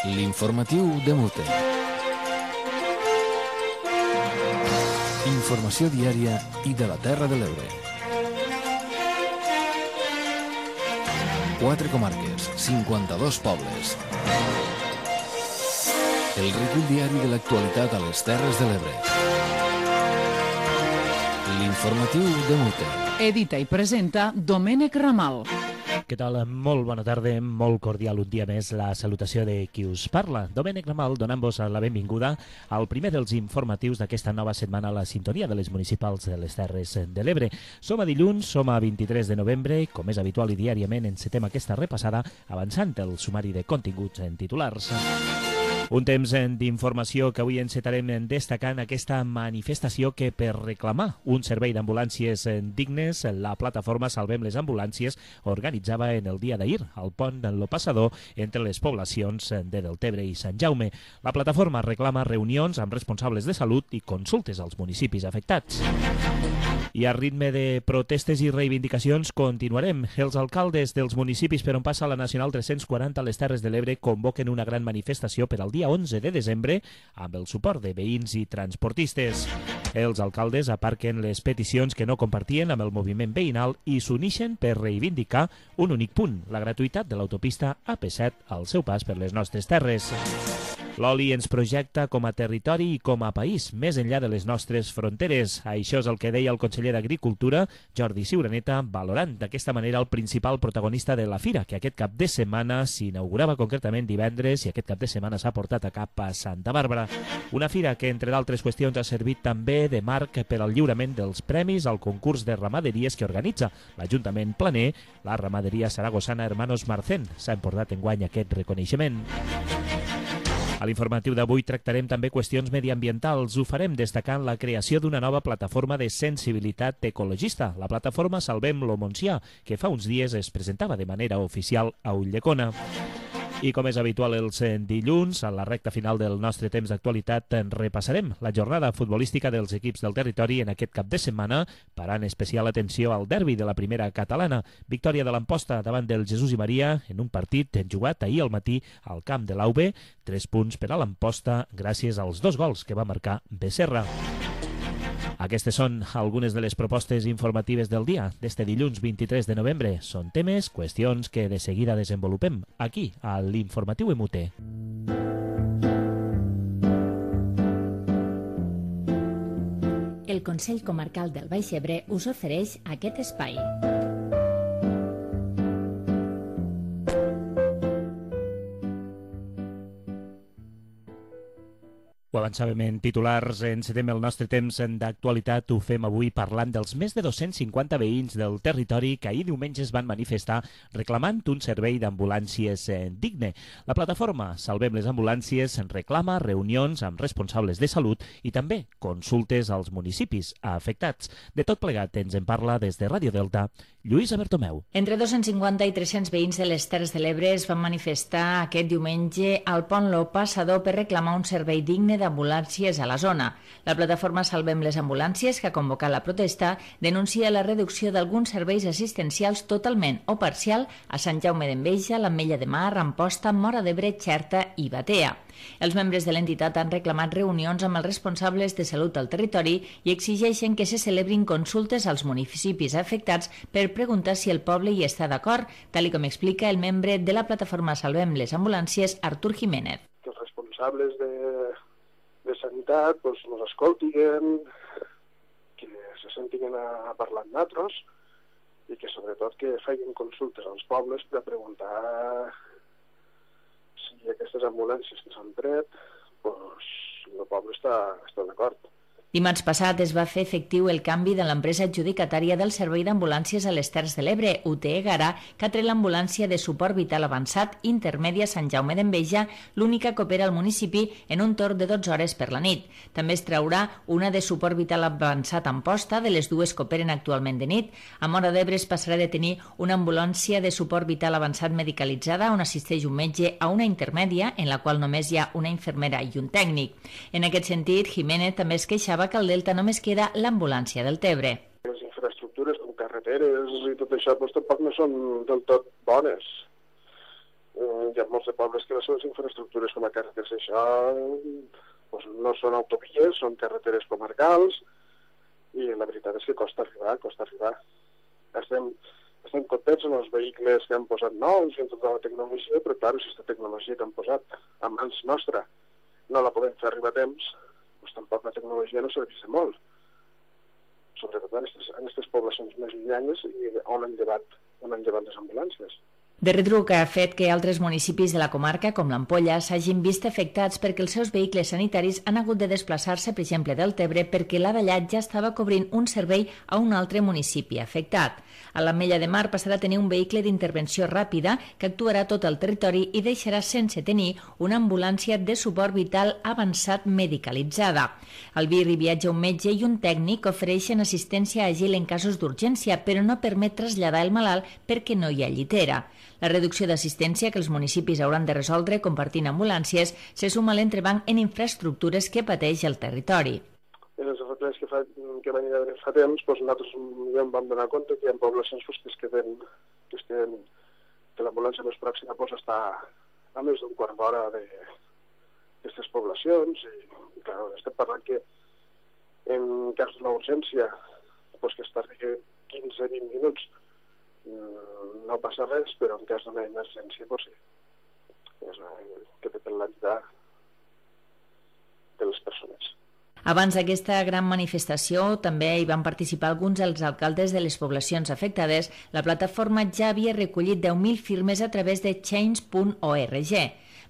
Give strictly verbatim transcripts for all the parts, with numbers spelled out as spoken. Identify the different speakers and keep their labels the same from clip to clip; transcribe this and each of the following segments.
Speaker 1: L'informatiu de Mute. Informació diària i de la Terra de l'Ebre. Quatre comarques, cinquanta-dos pobles. El recull diari de l'actualitat a les Terres de l'Ebre. L'informatiu de Mute.
Speaker 2: Edita i presenta Domènec Ramal.
Speaker 3: Què tal? Molt bona tarda, molt cordial un dia més la salutació de qui us parla. Domènec Ramal, donant-vos la benvinguda al primer dels informatius d'aquesta nova setmana a la sintonia de les municipals de les Terres de l'Ebre. Som a dilluns, som a vint-i-tres de novembre, com és habitual i diàriament encetem aquesta repassada avançant el sumari de continguts en titulars. Un temps d'informació que avui encetarem destacant aquesta manifestació que per reclamar un servei d'ambulàncies dignes, la plataforma Salvem les Ambulàncies organitzava en el dia d'ahir al pont de Lo Passador entre les poblacions de Deltebre i Sant Jaume. La plataforma reclama reunions amb responsables de salut i consultes als municipis afectats. I a ritme de protestes i reivindicacions continuarem. Els alcaldes dels municipis per on passa la Nacional tres-cents quaranta a les Terres de l'Ebre convoquen una gran manifestació per al dia onze de desembre amb el suport de veïns i transportistes. Els alcaldes aparquen les peticions que no compartien amb el moviment veïnal i s'unixen per reivindicar un únic punt, la gratuïtat de l'autopista A P set al seu pas per les nostres terres. L'oli ens projecta com a territori i com a país, més enllà de les nostres fronteres. Això és el que deia el conseller d'Agricultura, Jordi Ciuraneta, valorant d'aquesta manera el principal protagonista de la fira, que aquest cap de setmana s'inaugurava concretament divendres i aquest cap de setmana s'ha portat a cap a Santa Bàrbara. Una fira que, entre d'altres qüestions, ha servit també de marc per al lliurament dels premis al concurs de ramaderies que organitza l'Ajuntament Planer. La ramaderia saragossana Hermanos Marcén s'ha emportat enguany aquest reconeixement. A l'informatiu d'avui tractarem també qüestions mediambientals. Ho farem destacant la creació d'una nova plataforma de sensibilitat ecologista, la plataforma Salvem lo Montsià, que fa uns dies es presentava de manera oficial a Ulldecona. I com és habitual els dilluns, a la recta final del nostre temps d'actualitat, repassarem la jornada futbolística dels equips del territori en aquest cap de setmana, parant especial atenció al derbi de la primera catalana. Victòria de l'Amposta davant del Jesús i Maria en un partit jugat ahir al matí al camp de l'A U B. Tres punts per a l'Amposta gràcies als dos gols que va marcar Becerra. Aquestes són algunes de les propostes informatives del dia d'este dilluns vint-i-tres de novembre. Són temes, qüestions que de seguida desenvolupem aquí, a l'Informatiu M U T.
Speaker 4: El Consell Comarcal del Baix Ebre us ofereix aquest espai.
Speaker 3: Ho avançàvem en titulars, encetem el nostre temps d'actualitat, ho fem avui parlant dels més de dos-cents cinquanta veïns del territori que ahir diumenge es van manifestar reclamant un servei d'ambulàncies digne. La plataforma Salvem les Ambulàncies reclama reunions amb responsables de salut i també consultes als municipis afectats. De tot plegat ens en parla des de Ràdio Delta, Lluïsa Bertomeu.
Speaker 4: Entre dos-cents cinquanta i tres-cents veïns de les Terres de l'Ebre es van manifestar aquest diumenge al pont Lo Passador per reclamar un servei digne d'ambulàncies a la zona. La plataforma Salvem les Ambulàncies, que ha convocat la protesta, denuncia la reducció d'alguns serveis assistencials totalment o parcial a Sant Jaume d'Enveja, l'Ametlla de Mar, Amposta, Móra d'Ebre, Xerta i Batea. Els membres de l'entitat han reclamat reunions amb els responsables de salut al territori i exigeixen que se celebrin consultes als municipis afectats per preguntar si el poble hi està d'acord, tal com explica el membre de la plataforma Salvem les Ambulàncies, Artur Jiménez.
Speaker 5: Els responsables de de sanitat pues, nos escoltiguen, que se sentiguen a parlar amb nosaltres i que sobretot que facin consultes als pobles per preguntar si aquestes ambulàncies que s'han tret, pues, el poble està, està d'acord.
Speaker 4: Dimarts passat es va fer efectiu el canvi de l'empresa adjudicatària del servei d'ambulàncies a les Terres de l'Ebre, U T E Garà, que ha tret l'ambulància de suport vital avançat intermèdia Sant Jaume d'Enveja, l'única que opera al municipi en un torn de dotze hores per la nit. També es traurà una de suport vital avançat a Amposta, de les dues que operen actualment de nit. A Móra d'Ebre es passarà de tenir una ambulància de suport vital avançat medicalitzada on assisteix un metge a una intermèdia en la qual només hi ha una infermera i un tècnic. En aquest sentit, Jiménez també es queixava que al Delta només queda l'ambulància del Tebre.
Speaker 5: Les infraestructures com carreteres i tot això doncs, tampoc no són del tot bones. Eh, hi ha molts de pobles que les seves infraestructures com a carreteres, això doncs no són autovies, són carreteres comarcals, i la veritat és que costa arribar, costa arribar. Estem, estem contents amb els vehicles que han posat nous i amb tota la tecnologia, però clar, si aquesta tecnologia que han posat a mans nostra no la podem fer arribar a temps, doncs tampoc la tecnologia no serveix de molt. Sobretot en aquestes poblacions més llunyanes i on han llevat, on han llevat les ambulàncies.
Speaker 4: De retruc ha fet que altres municipis de la comarca, com l'Ampolla, s'hagin vist afectats perquè els seus vehicles sanitaris han hagut de desplaçar-se, per exemple, del Tebre, perquè l'Avellat ja estava cobrint un servei a un altre municipi afectat. A l'Ametlla de Mar passarà a tenir un vehicle d'intervenció ràpida que actuarà a tot el territori i deixarà sense tenir una ambulància de suport vital avançat medicalitzada. Al Vir hi viatja un metge i un tècnic que ofereixen assistència àgil en casos d'urgència, però no permet traslladar el malalt perquè no hi ha llitera. La reducció d'assistència que els municipis hauran de resoldre compartint ambulàncies se suma a l'entrebanc en infraestructures que pateix el territori.
Speaker 5: En els efectes que, fa, que van haver fa temps, doncs nosaltres ja em vam donar compte que hi ha poblacions doncs, que es queden, que, es queden, que l'ambulància més pròxima doncs, està a més d'un quart d'hora d'aquestes poblacions i, i clar, estem parlant que en cas d'una urgència doncs, que es tardi quinze a vint minuts no passa res, però en cas d'una emergència doncs sí, és que depèn la vida de les persones.
Speaker 4: Abans d'aquesta gran manifestació també hi van participar alguns dels alcaldes de les poblacions afectades. La plataforma ja havia recollit deu mil firmes a través de change punt org.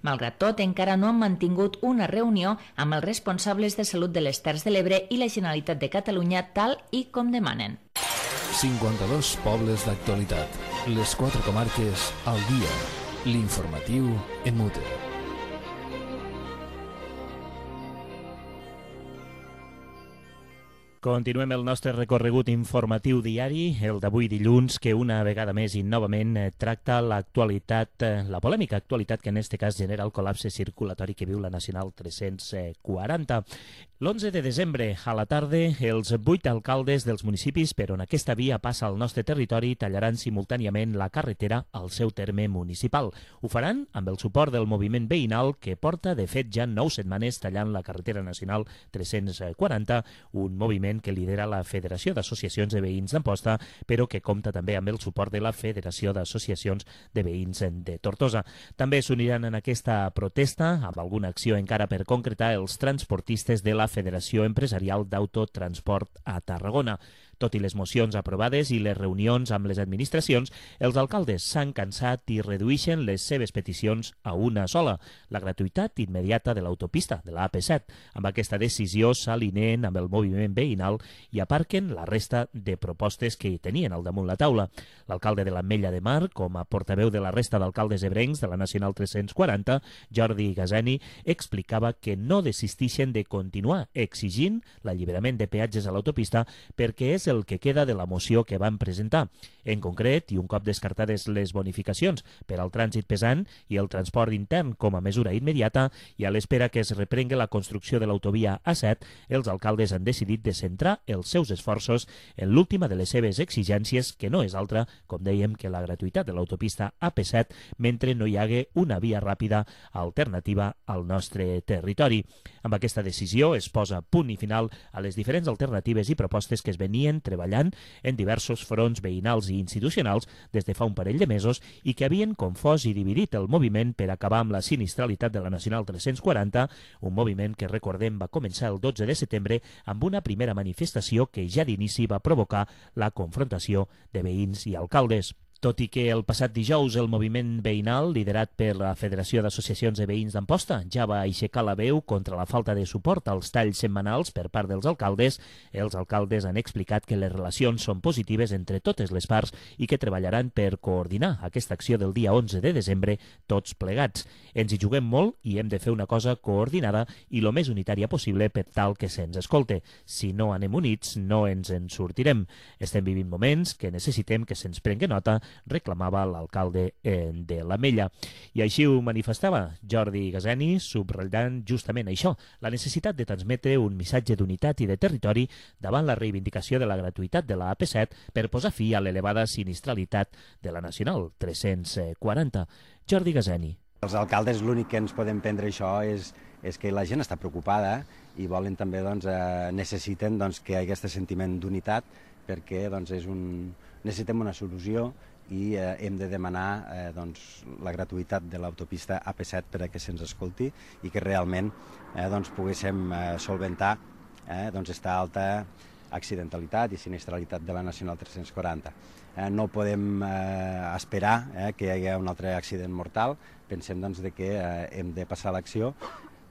Speaker 4: Malgrat tot, encara no han mantingut una reunió amb els responsables de salut de les Terres de l'Ebre i la Generalitat de Catalunya tal i com demanen.
Speaker 1: cinquanta-dos pobles d'actualitat. Les quatre comarques al dia. L'informatiu en mute.
Speaker 3: Continuem el nostre recorregut informatiu diari, el d'avui dilluns, que una vegada més i novament tracta l'actualitat, la polèmica actualitat que en aquest cas genera el col·lapse circulatori que viu la Nacional tres-cents quaranta. L'onze de desembre, a la tarda, els vuit alcaldes dels municipis per on aquesta via passa al nostre territori tallaran simultàniament la carretera al seu terme municipal. Ho faran amb el suport del moviment veïnal que porta, de fet, ja nou setmanes tallant la carretera nacional tres-cents quaranta, un moviment que lidera la Federació d'Associacions de Veïns d'Amposta, però que compta també amb el suport de la Federació d'Associacions de Veïns de Tortosa. També s'uniran en aquesta protesta, amb alguna acció encara per concretar, els transportistes de la Federació Empresarial d'Autotransport a Tarragona. Tot i les mocions aprovades i les reunions amb les administracions, els alcaldes s'han cansat i redueixen les seves peticions a una sola, la gratuïtat immediata de l'autopista de la A P set. Amb aquesta decisió s'alineen amb el moviment veïnal i aparquen la resta de propostes que hi tenien al damunt la taula. L'alcalde de l'Ametlla de Mar, com a portaveu de la resta d'alcaldes ebrencs de la Nacional tres-cents quaranta, Jordi Gazeni, explicava que no desistixen de continuar exigint l'alliberament de peatges a l'autopista perquè és el que queda de la moció que van presentar. En concret, i un cop descartades les bonificacions per al trànsit pesant i el transport intern com a mesura immediata i a l'espera que es reprengui la construcció de l'autovia A set, els alcaldes han decidit de centrar els seus esforços en l'última de les seves exigències, que no és altra, com dèiem, que la gratuïtat de l'autopista A P set mentre no hi hagi una via ràpida alternativa al nostre territori. Amb aquesta decisió es posa punt i final a les diferents alternatives i propostes que es venien treballant en diversos fronts veïnals i institucionals des de fa un parell de mesos i que havien confós i dividit el moviment per acabar amb la sinistralitat de la Nacional tres-cents quaranta, un moviment que, recordem, va començar el dotze de setembre amb una primera manifestació que ja d'inici va provocar la confrontació de veïns i alcaldes. Tot i que el passat dijous el moviment veïnal, liderat per la Federació d'Associacions de Veïns d'Amposta, ja va aixecar la veu contra la falta de suport als talls setmanals per part dels alcaldes, els alcaldes han explicat que les relacions són positives entre totes les parts i que treballaran per coordinar aquesta acció del dia onze de desembre tots plegats. Ens hi juguem molt i hem de fer una cosa coordinada i lo més unitària possible per tal que se'ns escolte. Si no anem units, no ens en sortirem. Estem vivint moments que necessitem que se'ns prengui nota, reclamava l'alcalde de l'Ametlla. I així ho manifestava Jordi Gazeni, subratllant justament això, la necessitat de transmetre un missatge d'unitat i de territori davant la reivindicació de la gratuïtat de la A P set per posar fi a l'elevada sinistralitat de la Nacional tres-cents quaranta. Jordi Gazeni.
Speaker 6: Els alcaldes l'únic que ens podem prendre això és, és que la gent està preocupada i volen també, doncs, eh, necessiten doncs, que hi hagi aquest sentiment d'unitat perquè doncs, és un... necessitem una solució i eh, hem de demanar eh, doncs, la gratuïtat de l'autopista A P set per a que se'ns escolti i que realment eh, doncs, poguéssim eh, solventar eh, doncs, esta alta accidentalitat i sinistralitat de la Nacional tres-cents quaranta. Eh, no podem eh, esperar eh, que hi hagi un altre accident mortal. Pensem doncs, de que eh, hem de passar a l'acció.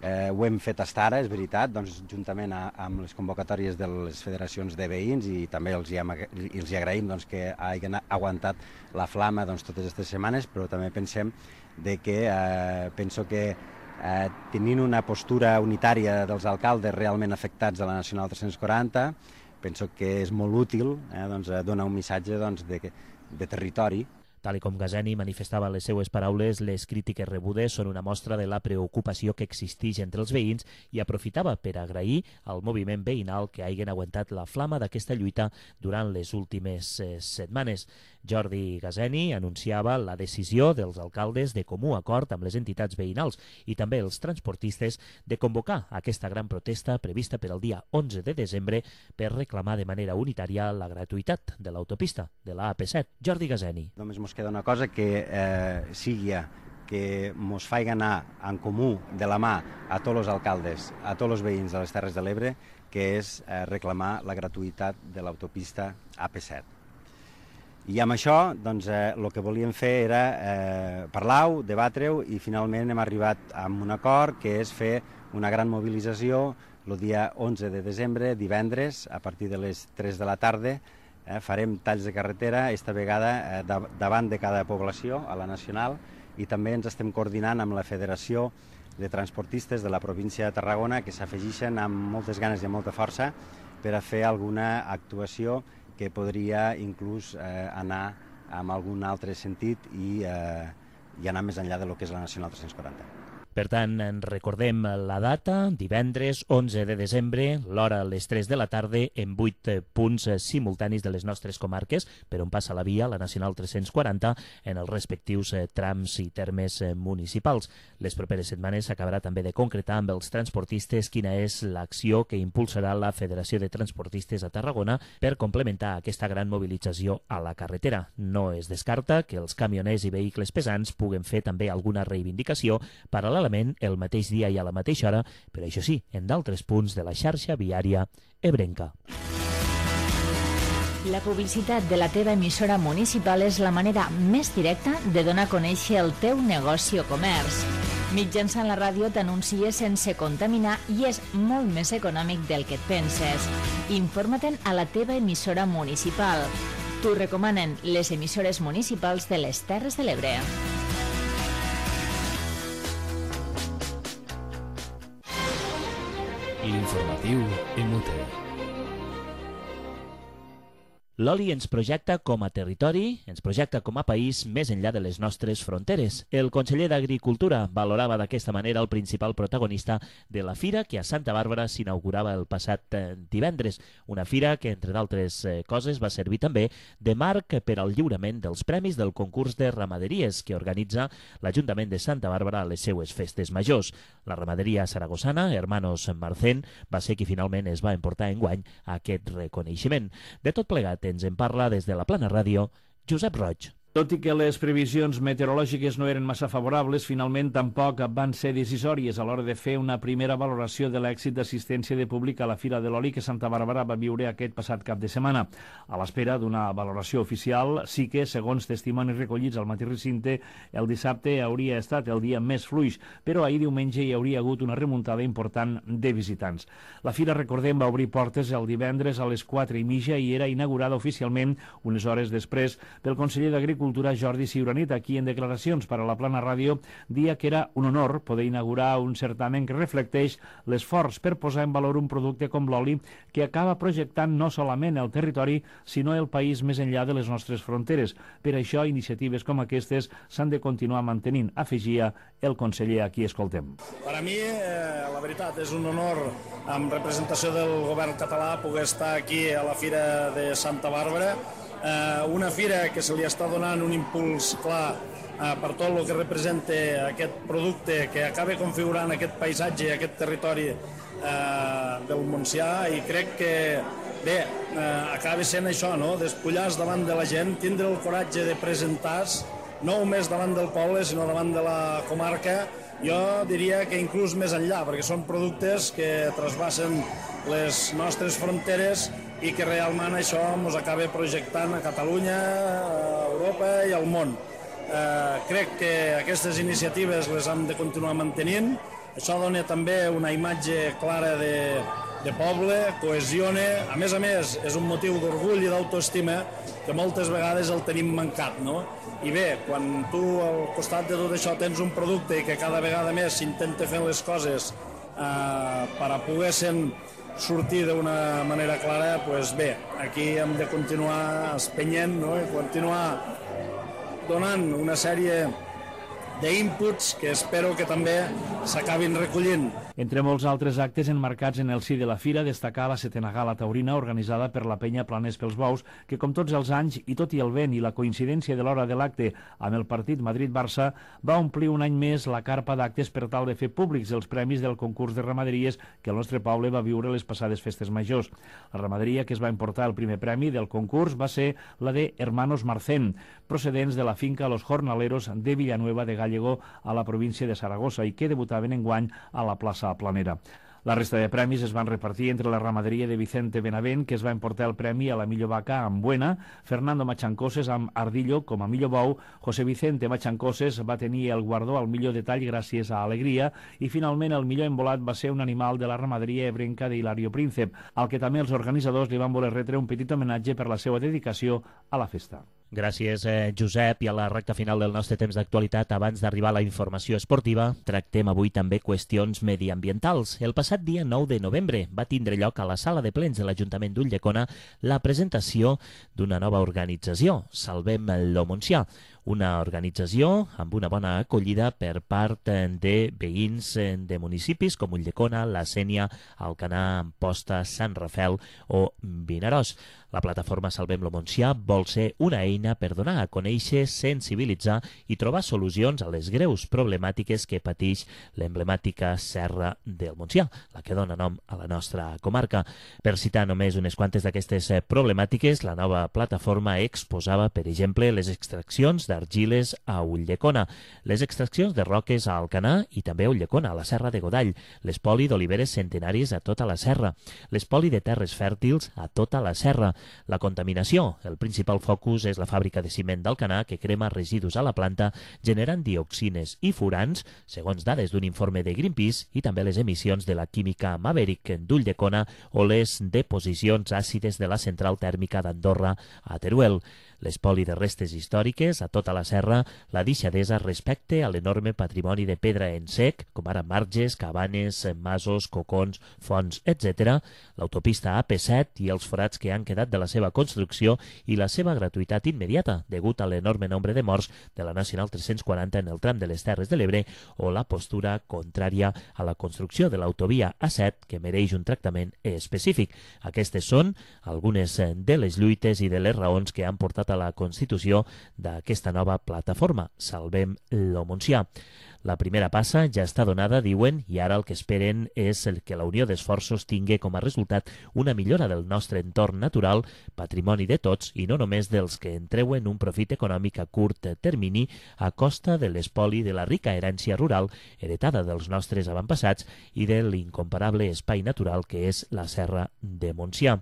Speaker 6: Eh, ho hem fet fins ara, és veritat, doncs, juntament a, amb les convocatòries de les federacions de veïns i també els hi, hem, els hi agraïm doncs, que hagin aguantat la flama doncs, totes aquestes setmanes, però també pensem de que, eh, penso que eh, tenint una postura unitària dels alcaldes realment afectats a la Nacional tres-cents quaranta, penso que és molt útil eh, doncs, donar un missatge doncs, de, de territori.
Speaker 3: Tal com Gaseni manifestava les seues paraules, les crítiques rebudes són una mostra de la preocupació que existeix entre els veïns i aprofitava per agrair al moviment veïnal que hagin aguantat la flama d'aquesta lluita durant les últimes eh, setmanes. Jordi Gaseni anunciava la decisió dels alcaldes de comú acord amb les entitats veïnals i també els transportistes de convocar aquesta gran protesta prevista per al dia onze de desembre per reclamar de manera unitària la gratuïtat de l'autopista de la A P set. Jordi Gaseni.
Speaker 6: Només mos queda una cosa que eh, sigui que mos faig anar en comú de la mà a tots els alcaldes, a tots els veïns de les Terres de l'Ebre, que és eh, reclamar la gratuïtat de l'autopista A P set. I amb això, doncs, eh, el que volíem fer era eh, parlar-ho, debatre-ho i finalment hem arribat a un acord que és fer una gran mobilització el dia onze de desembre, divendres, a partir de les tres de la tarda. Eh, farem talls de carretera, esta vegada eh, de, davant de cada població, a la Nacional, i també ens estem coordinant amb la Federació de Transportistes de la província de Tarragona, que s'afegeixen amb moltes ganes i amb molta força per a fer alguna actuació que podria inclús eh, anar en algun altre sentit i, eh, i anar més enllà de lo que és la Nacional tres-cents quaranta.
Speaker 3: Per tant, en recordem la data, divendres onze de desembre, l'hora a les tres de la tarda, en vuit punts simultanis de les nostres comarques, per on passa la via, la Nacional tres-cents quaranta, en els respectius trams i termes municipals. Les properes setmanes s'acabarà també de concretar amb els transportistes quina és l'acció que impulsarà la Federació de Transportistes a Tarragona per complementar aquesta gran mobilització a la carretera. No es descarta que els camioners i vehicles pesants puguen fer també alguna reivindicació paral·lela el mateix dia i a la mateixa hora, però això sí, en d'altres punts de la xarxa viària ebrenca.
Speaker 4: La publicitat de la teva emissora municipal és la manera més directa de donar a conèixer el teu negoci o comerç. Mitjançant la ràdio t'anuncies sense contaminar i és molt més econòmic del que et penses. Informa-te'n a la teva emissora municipal. T'ho recomanen les emissores municipals de les Terres de l'Ebre.
Speaker 1: L'informatiu en Mute.
Speaker 3: L'oli ens projecta com a territori, ens projecta com a país més enllà de les nostres fronteres. El conseller d'Agricultura valorava d'aquesta manera el principal protagonista de la fira que a Santa Bàrbara s'inaugurava el passat divendres. Una fira que, entre d'altres coses, va servir també de marc per al lliurament dels premis del concurs de ramaderies que organitza l'Ajuntament de Santa Bàrbara a les seues festes majors. La ramaderia saragossana, Hermanos Marcén, va ser qui finalment es va emportar enguany aquest reconeixement. De tot plegat, ens en parla des de la Plana Ràdio, Josep Roig.
Speaker 7: Tot i que les previsions meteorològiques no eren massa favorables, finalment tampoc van ser decisòries a l'hora de fer una primera valoració de l'èxit d'assistència de públic a la Fira de l'Oli que Santa Bàrbara va viure aquest passat cap de setmana. A l'espera d'una valoració oficial, sí que, segons testimonis recollits al mateix recinte, el dissabte hauria estat el dia més fluix, però ahir diumenge hi hauria hagut una remuntada important de visitants. La Fira, recordem, va obrir portes el divendres a les quatre i mitja i era inaugurada oficialment unes hores després pel conseller d'Agricultura Cultura Jordi Ciuranit, aquí en declaracions per a la Plana Ràdio, dia que era un honor poder inaugurar un certamen que reflecteix l'esforç per posar en valor un producte com l'oli que acaba projectant no solament el territori, sinó el país més enllà de les nostres fronteres. Per això, iniciatives com aquestes s'han de continuar mantenint, afegia el conseller a qui escoltem.
Speaker 8: Per a mi, eh, la veritat, és un honor, en representació del govern català, poder estar aquí a la Fira de Santa Bàrbara, Eh, una fira que se li està donant un impuls clar per tot el que representa aquest producte que acaba configurant aquest paisatge, aquest territori del Montsià, i crec que bé, acaba sent això, no? Despullar-se davant de la gent, tindre el coratge de presentar-se, no només davant del poble, sinó davant de la comarca, jo diria que inclús més enllà, perquè són productes que trasbassen les nostres fronteres i que realment això ens acaba projectant a Catalunya, a Europa i al món. Eh, crec que aquestes iniciatives les hem de continuar mantenint. Això dona també una imatge clara de, de poble, cohesiona. A més a més, és un motiu d'orgull i d'autoestima que moltes vegades el tenim mancat, no? I bé, quan tu al costat de tot això tens un producte que cada vegada més s'intenta fer les coses eh, per a poder-se'n sortir d'una manera clara, doncs bé, aquí hem de continuar espenyent, no? I continuar donant una sèrie d'inputs que espero que també s'acabin recollint.
Speaker 7: Entre molts altres actes enmarcats en el si de la fira, destacar la setena gala taurina organitzada per la penya Planers pels Bous, que com tots els anys, i tot i el vent i la coincidència de l'hora de l'acte amb el partit Madrid-Barça, va omplir un any més la carpa d'actes per tal de fer públics els premis del concurs de ramaderies que el nostre poble va viure les passades festes majors. La ramaderia que es va emportar el primer premi del concurs va ser la de Hermanos Marcén, procedents de la finca Los Jornaleros de Villanueva de Gallego a la província de Saragossa i que debutaven enguany a la plaça Planera. La resta de premis es van repartir entre la ramaderia de Vicente Benavent, que es va emportar el premi a la millor vaca amb Buena, Fernando Machancoses amb Ardillo com a millor bou, José Vicente Machancoses va tenir el guardó al millor detall gràcies a Alegria, i finalment el millor embolat va ser un animal de la ramaderia ebrenca de Hilario Príncep, al que també els organitzadors li van voler retre un petit homenatge per la seva dedicació a la festa.
Speaker 3: Gràcies, eh, Josep. I a la recta final del nostre temps d'actualitat, abans d'arribar a la informació esportiva, tractem avui també qüestions mediambientals. El passat dia nou de novembre va tindre lloc a la sala de plens de l'Ajuntament d'Ulldecona la presentació d'una nova organització, Salvem lo Montsià, una organització amb una bona acollida per part de veïns de municipis com Ulldecona, La Sénia, Alcanar, Amposta, Sant Rafel o Vinaròs. La plataforma Salvem lo Montsià vol ser una eina per donar a conèixer, sensibilitzar i trobar solucions a les greus problemàtiques que pateix l'emblemàtica Serra del Montsià, la que dona nom a la nostra comarca. Per citar només unes quantes d'aquestes problemàtiques, la nova plataforma exposava, per exemple, les extraccions d'argiles a Ulldecona, les extraccions de roques a Alcanar i també a Ulldecona, a la Serra de Godall, l'espoli d'oliveres centenàries a tota la serra, l'espoli de terres fèrtils a tota la serra, la contaminació. El principal focus és la fàbrica de ciment d'Alcanar, que crema residus a la planta generant dioxines i furans, segons dades d'un informe de Greenpeace, i també les emissions de la química Maverick d'Ulldecona o les deposicions àcides de la central tèrmica d'Andorra a Teruel. L'espoli de restes històriques a tota la serra, la deixadesa respecte a l'enorme patrimoni de pedra en sec, com ara marges, cabanes, masos, cocons, fonts, etcètera, l'autopista A P set i els forats que han quedat de la seva construcció i la seva gratuïtat immediata, degut a l'enorme nombre de morts de la Nacional tres-cents quaranta en el tram de les Terres de l'Ebre, o la postura contrària a la construcció de l'autovia A set, que mereix un tractament específic. Aquestes són algunes de les lluites i de les raons que han portat a la constitució d'aquesta nova plataforma, Salvem lo Montsià. La primera passa ja està donada, diuen, i ara el que esperen és el que la unió d'esforços tingui com a resultat una millora del nostre entorn natural, patrimoni de tots i no només dels que en treuen un profit econòmic a curt termini a costa de l'espoli de la rica herència rural heretada dels nostres avantpassats i de l'incomparable espai natural que és la Serra de Montsià.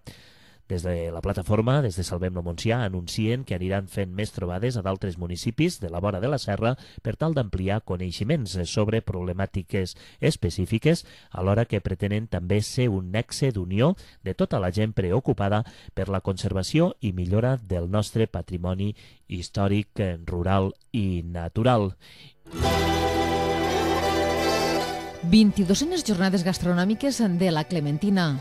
Speaker 3: Des de la plataforma, des de Salvem lo Montsià, anuncien que aniran fent més trobades a d'altres municipis de la vora de la serra per tal d'ampliar coneixements sobre problemàtiques específiques, alhora que pretenen també ser un nexe d'unió de tota la gent preocupada per la conservació i millora del nostre patrimoni històric, rural i natural.
Speaker 2: vint-i-duenes jornades gastronòmiques de la Clementina.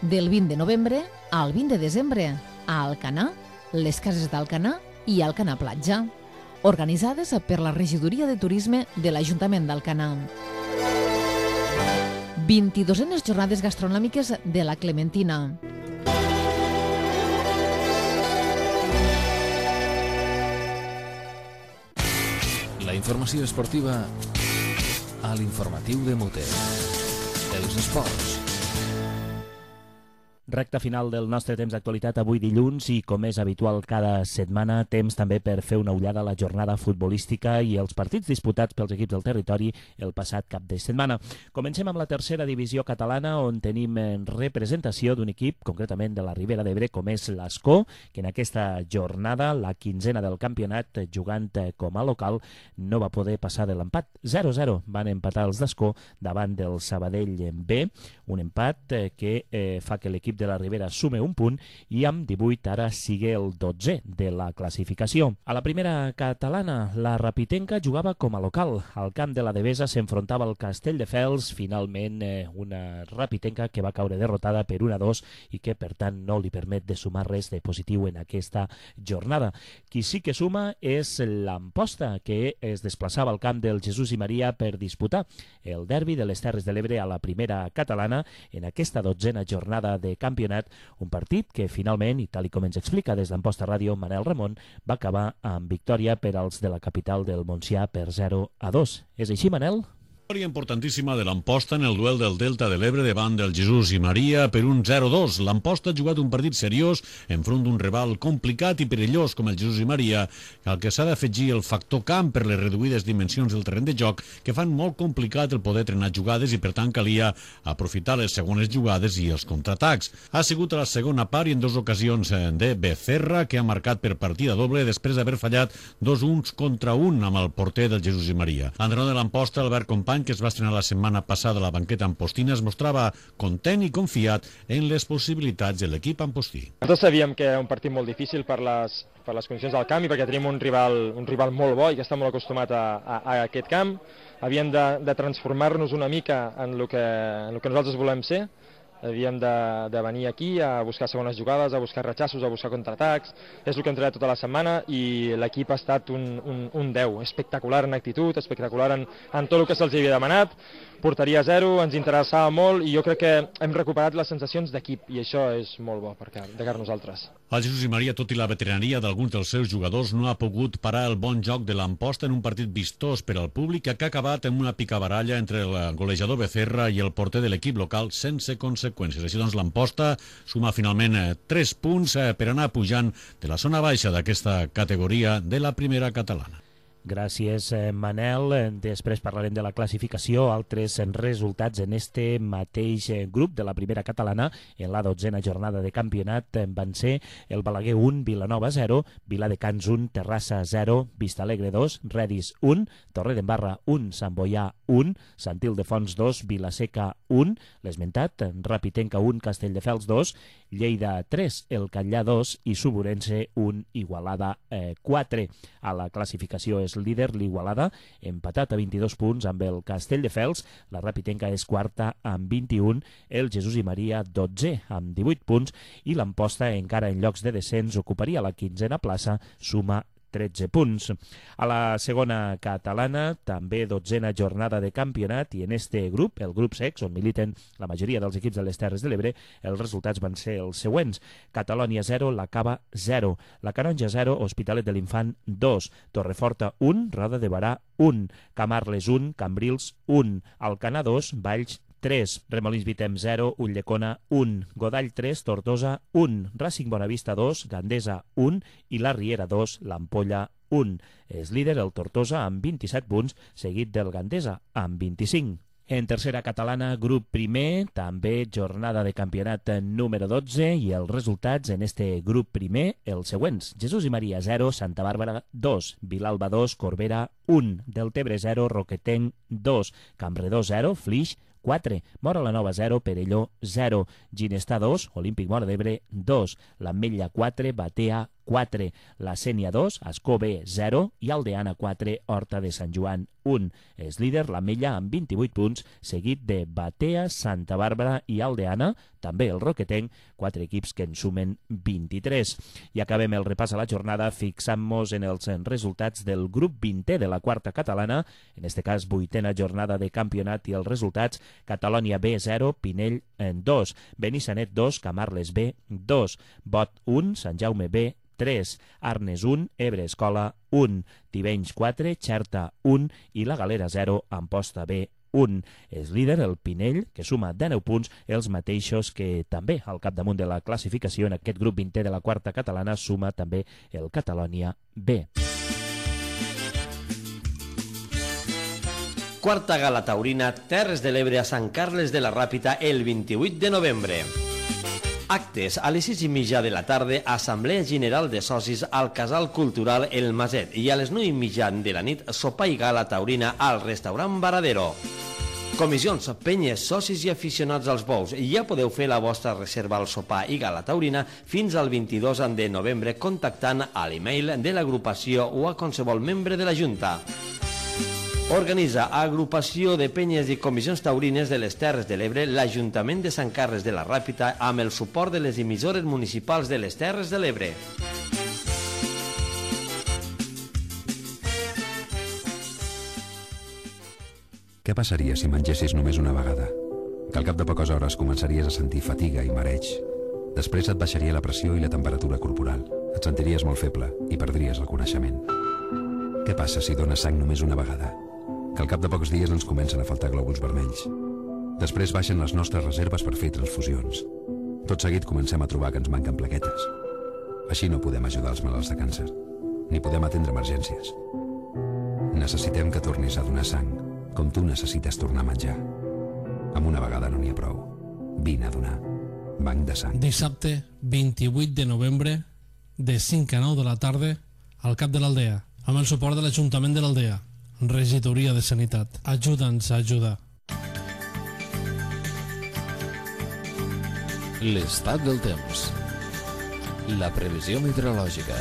Speaker 2: Del vint de novembre al vint de desembre, a Alcanar, les cases d'Alcanar i Alcanar Platja, organitzades per la Regidoria de Turisme de l'Ajuntament d'Alcanar. vint-i-duenes jornades gastronòmiques de la Clementina.
Speaker 1: informació esportiva a l'informatiu de Mute. Els esports.
Speaker 3: Recta final del nostre temps d'actualitat avui dilluns i, com és habitual cada setmana, temps també per fer una ullada a la jornada futbolística i els partits disputats pels equips del territori el passat cap de setmana. Comencem amb la tercera divisió catalana, on tenim representació d'un equip, concretament de la Ribera d'Ebre, com és l'Escó, que en aquesta jornada, la quinzena del campionat, jugant com a local, no va poder passar de l'empat. zero a zero van empatar els d'Escó davant del Sabadell B, un empat que eh, fa que l'equip de la Ribera sume un punt i amb divuit ara sigue el dotzè de la classificació. A la primera catalana, la Rapitenca jugava com a local. Al camp de la Devesa s'enfrontava al Castelldefels, finalment eh, una Rapitenca que va caure derrotada per un a dos i que per tant no li permet de sumar res de positiu en aquesta jornada. Qui sí que suma és l'Amposta, que es desplaçava al camp del Jesús i Maria per disputar el derbi de les Terres de l'Ebre a la primera catalana en aquesta dotzena jornada de campionat, un partit que finalment, i tal com ens explica des d'Amposta Ràdio Manel Ramon, va acabar amb victòria per als de la capital del Montsià per zero a dos. És així, Manel?
Speaker 9: Victòria importantíssima de l'Amposta en el duel del Delta de l'Ebre davant del Jesús i Maria per un zero a dos. L'Amposta ha jugat un partit seriós enfront d'un rival complicat i perillós com el Jesús i Maria, al que s'ha d'afegir el factor camp per les reduïdes dimensions del terreny de joc que fan molt complicat el poder trenar jugades i per tant calia aprofitar les segones jugades i els contraatacs. Ha sigut a la segona part i en dues ocasions de Becerra, que ha marcat per partida doble després d'haver fallat dos uns contra un amb el porter del Jesús i Maria. L'entrenador de l'Amposta, Albert Company, que es va estrenar la setmana passada a la banqueta ampostina, es mostrava content i confiat en les possibilitats de l'equip ampostí.
Speaker 10: Nosaltres sabíem que era un partit molt difícil per les, per les condicions del camp i perquè tenim un rival, un rival molt bo i que està molt acostumat a, a, a aquest camp. Havíem de, de transformar-nos una mica en el que, en el que nosaltres volem ser. Havíem de, de venir aquí a buscar segones jugades, a buscar ratxassos, a buscar contraatacs. És el que hem treballat tota la setmana i l'equip ha estat un, un, un deu. Espectacular en actitud, espectacular en, en tot el que se'ls havia demanat. Porteria zero, ens interessava molt i jo crec que hem recuperat les sensacions d'equip i això és molt bo per de cara a nosaltres.
Speaker 9: El Jesús i Maria, tot i la veteraneria d'alguns dels seus jugadors, no ha pogut parar el bon joc de l'Amposta en un partit vistós per al públic que ha acabat amb una picabaralla entre el golejador Becerra i el porter de l'equip local sense conseqüències. Així doncs l'Amposta suma finalment tres punts per anar pujant de la zona baixa d'aquesta categoria de la primera catalana.
Speaker 3: Gràcies, Manel. Després parlarem de la classificació. Altres resultats en este mateix grup de la primera catalana en la dotzena jornada de campionat van ser el Balaguer un, Vilanova zero, Viladecans un, Terrassa zero, Vistalegre dos, Redis un, Torredembarra un, Sant Boià un, Sant Ildefons dos, Vilaseca un, l'esmentat, Rapitenca un, Castelldefels dos, Lleida tres, el Catllà dos i Suburense un, Igualada quatre. A la classificació és líder l'Igualada, empatat a vint-i-dos punts amb el Castelldefels. La Rapitenca és quarta amb vint-i-un, el Jesús i Maria dotzè amb divuit punts i l'Amposta, encara en llocs de descens, ocuparia la quinzena plaça, suma tretze punts. A la segona catalana, també dotzena jornada de campionat i en este grup, el grup sex, on militen la majoria dels equips de les Terres de l'Ebre, els resultats van ser els següents. Catalònia zero, la Cava zero, la Canonja zero, Hospitalet de l'Infant dos, Torreforta un, Roda de Barà un, Camarles un, Cambrils un, Alcanar dos, Valls tres, Remolins Vitem zero, Ulldecona un, Godall tres, Tortosa un, Racing Bonavista dos, Gandesa un i la Riera dos, l'Ampolla un. És líder el Tortosa amb vint-i-set punts, seguit del Gandesa amb vint-i-cinc. En tercera catalana, grup primer, també jornada de campionat número dotze i els resultats en este grup primer, els següents. Jesús i Maria zero, Santa Bàrbara dos, Vilalba dos, Corbera un, Deltebre zero, Roquetenc dos, Campredó zero, Flix quatre, Móra la Nova zero, Perelló zero, Ginestar dos, Olímpic Móra d'Ebre dos, l'Ametlla quatre, Batea quatre, la Sénia dos, Ascó B zero i Aldeana quatre, Horta de Sant Joan un. És líder l'Ametlla amb vint-i-vuit punts, seguit de Batea, Santa Bàrbara i Aldeana, també el Roquetenc, quatre equips que en sumen vint-i-tres. I acabem el repàs a la jornada fixant-nos en els resultats del grup vintè de la quarta catalana, en este cas vuitena jornada de campionat i els resultats: Catalònia B zero, Pinell dos, Benissanet dos, Camarles B dos, Bot un, Sant Jaume B tres, Arnes un, Ebre Escola un, Tivenys quatre, Xerta un i la Galera zero, Amposta B un. És líder el Pinell, que suma dinou punts, els mateixos que també al capdamunt de la classificació en aquest grup vintè de la quarta catalana suma també el Catalònia B.
Speaker 11: Quarta gala taurina, Terres de l'Ebre a Sant Carles de la Ràpita el vint-i-vuit de novembre. Actes a les sis i mitja de la tarda, Assemblea General de Socis al Casal Cultural El Maset i a les nou i mitja de la nit, sopar i gala taurina al restaurant Varadero. Comissions, penyes, socis i aficionats als bous. Ja podeu fer la vostra reserva al sopar i gala taurina fins al vint-i-dos de novembre contactant a l'email de l'agrupació o a qualsevol membre de la Junta. Organitza Agrupació de Penyes i Comissions Taurines de les Terres de l'Ebre l'Ajuntament de Sant Carles de la Ràpita amb el suport de les emissores municipals de les Terres de l'Ebre.
Speaker 12: Què passaria si mengessis només una vegada? Que al cap de poques hores començaries a sentir fatiga i mareig. Després et baixaria la pressió i la temperatura corporal. Et sentiries molt feble i perdries el coneixement. Què passa si dones sang només una vegada? Que al cap de pocs dies ens comencen a faltar glòbuls vermells. Després baixen les nostres reserves per fer transfusions. Tot seguit comencem a trobar que ens manquen plaquetes. Així no podem ajudar els malalts de càncer, ni podem atendre emergències. Necessitem que tornis a donar sang, com tu necessites tornar a menjar. Amb una vegada no n'hi ha prou. Vine a donar. Banc de sang.
Speaker 13: Dissabte, vint-i-vuit de novembre, de cinc a nou de la tarda, al cap de l'Aldea, amb el suport de l'Ajuntament de l'Aldea. Regidoria de Sanitat. Ajuda'ns a ajudar.
Speaker 1: L'estat del temps. La previsió meteorològica.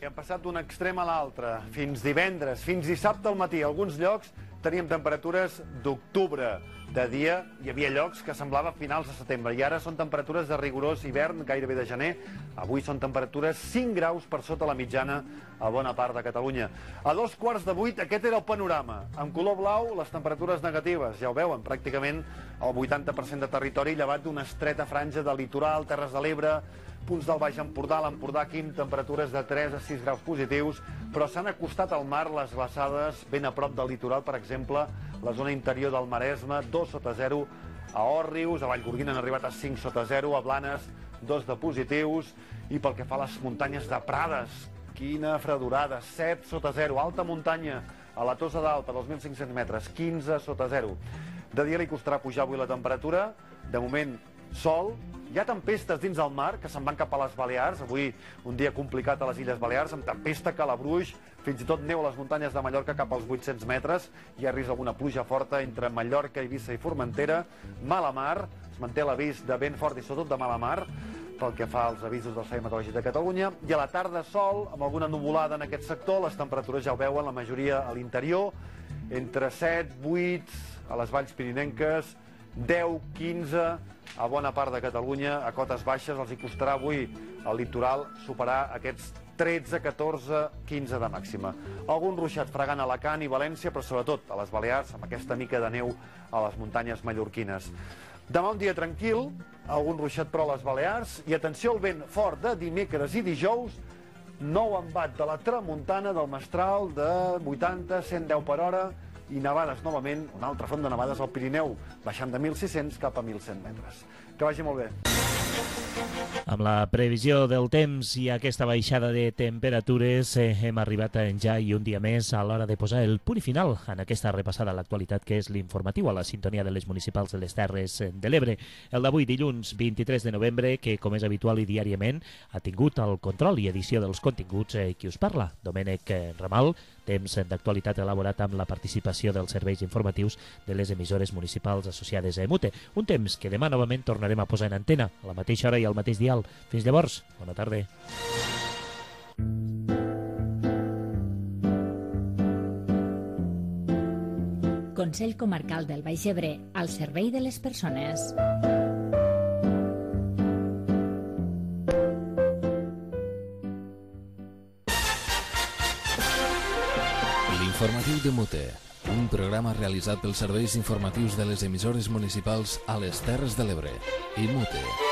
Speaker 14: Hem passat d'un extrem a l'altre. Fins divendres, fins dissabte al matí. A alguns llocs teníem temperatures d'octubre. De dia hi havia llocs que semblava finals de setembre i ara són temperatures de rigorós hivern, gairebé de gener. Avui són temperatures cinc graus per sota la mitjana a bona part de Catalunya. A dos quarts de vuit aquest era el panorama. En color blau les temperatures negatives, ja ho veuen, pràcticament el vuitanta per cent de territori llevat d'una estreta franja de litoral, Terres de l'Ebre, punts del Baix Empordà, l'Empordà aquí amb temperatures de tres a sis graus positius, però s'han acostat al mar les glaçades ben a prop del litoral, per exemple, la zona interior del Maresme, dos sota zero, a Òrrius, a Vallgorguina han arribat a cinc sota zero, a Blanes, dos de positius, i pel que fa a les muntanyes de Prades, quina fredurada, set sota zero, alta muntanya, a la Tossa d'Alta, dos mil cinc-cents metres, quinze sota zero. De dia li costarà pujar avui la temperatura, de moment sol, hi ha tempestes dins el mar que se'n van cap a les Balears, avui un dia complicat a les Illes Balears, amb tempesta, calabruix, fins i tot neu a les muntanyes de Mallorca cap als vuit-cents metres, hi ha risc d'alguna pluja forta entre Mallorca, Eivissa i Formentera, mala mar, es manté l'avís de vent fort i sobretot de mala mar, pel que fa als avisos del Servei Meteorològic de Catalunya, i a la tarda sol, amb alguna nuvolada en aquest sector, les temperatures ja ho veuen, la majoria a l'interior, entre set, vuit, a les valls pirinenques, deu, quinze, a bona part de Catalunya, a cotes baixes, els hi costarà avui al litoral superar aquests tretze, catorze, quinze de màxima. Algun ruixat fregant a Alacant i València, però sobretot a les Balears, amb aquesta mica de neu a les muntanyes mallorquines. Demà un dia tranquil, algun ruixat però a les Balears, i atenció al vent fort de dimecres i dijous, nou embat de la tramuntana del mestral de vuitanta a cent deu per hora, i nevades novament, un altre front de nevades al Pirineu, baixant de mil sis-cents cap a mil cent metres. Que vagi molt bé.
Speaker 3: Amb la previsió del temps i aquesta baixada de temperatures eh, hem arribat ja i un dia més a l'hora de posar el punt i final en aquesta repassada a l'actualitat que és l'informatiu a la sintonia de les municipals de les Terres de l'Ebre. El d'avui dilluns vint-i-tres de novembre que com és habitual i diàriament ha tingut el control i edició dels continguts eh, qui us parla, Domènec Ramal, temps d'actualitat elaborat amb la participació dels serveis informatius de les emissores municipals associades a EMUTE. Un temps que demà novament tornarem a posar en antena a la mateixa hora i al mateix dial. Fins llavors, bona tarda.
Speaker 4: Consell Comarcal del Baix Ebre, al servei de les persones.
Speaker 1: L'informatiu de Mute. Un programa realitzat pels serveis informatius de les emissores municipals a les Terres de l'Ebre. I Mute.